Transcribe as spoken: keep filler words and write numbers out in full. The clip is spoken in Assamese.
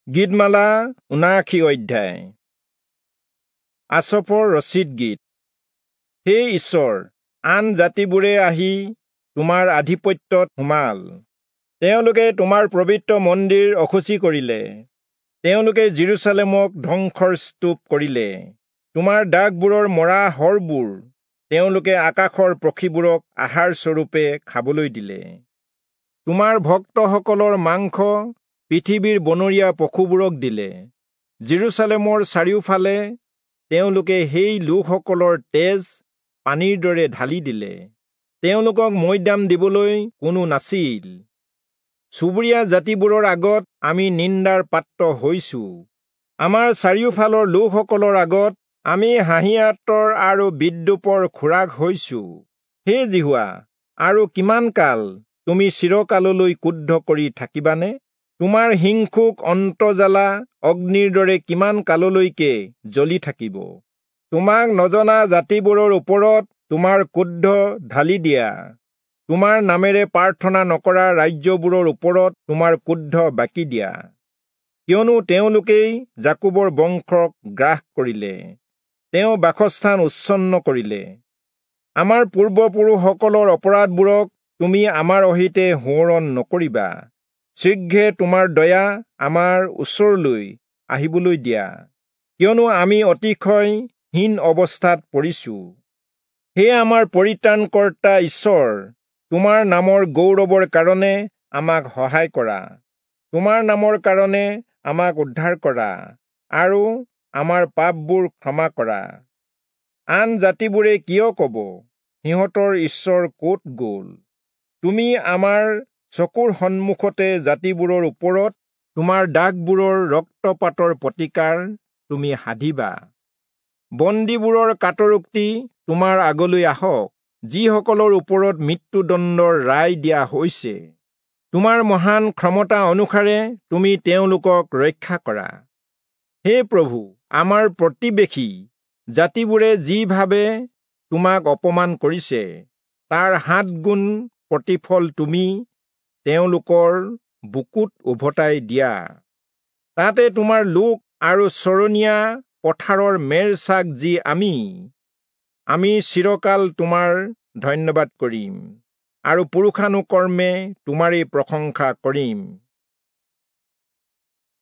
গীতমালা ঊনাশী অধ্যায়। আচফৰ ৰচিত গীত। হে ঈশ্বৰ, আন জাতিবোৰে আহি তোমাৰ আধিপত্যত সোমাল। তেওঁলোকে তোমাৰ পবিত্ৰ মন্দিৰ অশুচি কৰিলে। তেওঁলোকে যিৰূচালেমক ধ্বংসৰ স্তূপ কৰিলে। তোমাৰ দাসবোৰৰ মৰা হৰবোৰ তেওঁলোকে আকাশৰ পক্ষীবোৰক আহাৰ স্বৰূপে খাবলৈ দিলে। তোমাৰ ভক্তসকলৰ মাংস পৃথিৱীৰ বনৰীয়া পশুবোৰক দিলে। যিৰূচালেমৰ চাৰিওফালে তেওঁলোকে সেই লোকসকলৰ তেজ পানীৰ দৰে ঢালি দিলে। তেওঁলোকক মৈদাম দিবলৈ কোনো নাছিল। চুবুৰীয়া জাতিবোৰৰ আগত আমি নিন্দাৰ পাত্ৰ হৈছো। আমাৰ চাৰিওফালৰ লোকসকলৰ আগত আমি হাঁহিয়াতৰ আৰু বিদ্ৰূপৰ খোৰাক হৈছো। হে যিহোৱা, আৰু কিমান কাল তুমি চিৰকাললৈ ক্ৰুদ্ধ কৰি থাকিবানে? তোমাৰ হিংসুক অন্তৰ্জ্বালা অগ্নিৰ দৰে কিমান কাললৈকে জ্বলি থাকিব? তোমাক নজনা জাতিবোৰৰ ওপৰত তোমাৰ ক্ৰোধ ঢালি দিয়া। তোমাৰ নামেৰে প্ৰাৰ্থনা নকৰা ৰাজ্যবোৰৰ ওপৰত তোমাৰ ক্ৰোধ বাকি দিয়া। কিয়নো তেওঁলোকেই যাকোবৰ বংশক গ্ৰাস কৰিলে, তেওঁ বাসস্থান উচ্ছন্ন কৰিলে। আমাৰ পূৰ্বপুৰুষসকলৰ অপৰাধবোৰক তুমি আমাৰ অহিতে সোঁৱৰণ নকৰিবা। শীঘ্ৰে তোমাৰ দয়া আমাৰ ওচৰলৈ আহিবলৈ দিয়া, কিয়নো আমি অতিশয় হীন অৱস্থাত পৰিছো। হে আমাৰ পৰিত্ৰাণকৰ্তা ঈশ্বৰ, তোমাৰ নামৰ গৌৰৱৰ কাৰণে আমাক সহায় কৰা। তোমাৰ নামৰ কাৰণে আমাক উদ্ধাৰ কৰা আৰু আমাৰ পাপবোৰ ক্ষমা কৰা। আন জাতিবোৰে কিয় কব, সিহঁতৰ ঈশ্বৰ ক'ত গ'ল? তুমি আমাৰ চকুৰ সন্মুখতে জাতিবোৰৰ ওপৰত তোমাৰ দাসবোৰৰ ৰক্তপাতৰ প্ৰতিকাৰ তুমি সাধিবা। বন্দীবোৰৰ কাতৰোক্তি তোমাৰ আগলৈ আহক, যিসকলৰ ওপৰত মৃত্যুদণ্ডৰ ৰায় দিয়া হৈছে। তোমাৰ মহান ক্ষমতা অনুসাৰে তুমি তেওঁলোকক ৰক্ষা কৰা। হে প্ৰভু, আমাৰ প্ৰতিবেশী জাতিবোৰে যিভাৱে তোমাক অপমান কৰিছে, তাৰ সাত গুণ প্ৰতিফল তুমি তেওঁলোকৰ বুকুত উভতাই দিয়া। তাতে তোমাৰ লোক আৰু চৰণীয়া পথাৰৰ মেৰ ছাগ যি আমি, আমি চিৰকাল তোমাৰ ধন্যবাদ কৰিম আৰু পুৰুষানুকৰ্মে তোমাৰেই প্ৰশংসা কৰিম।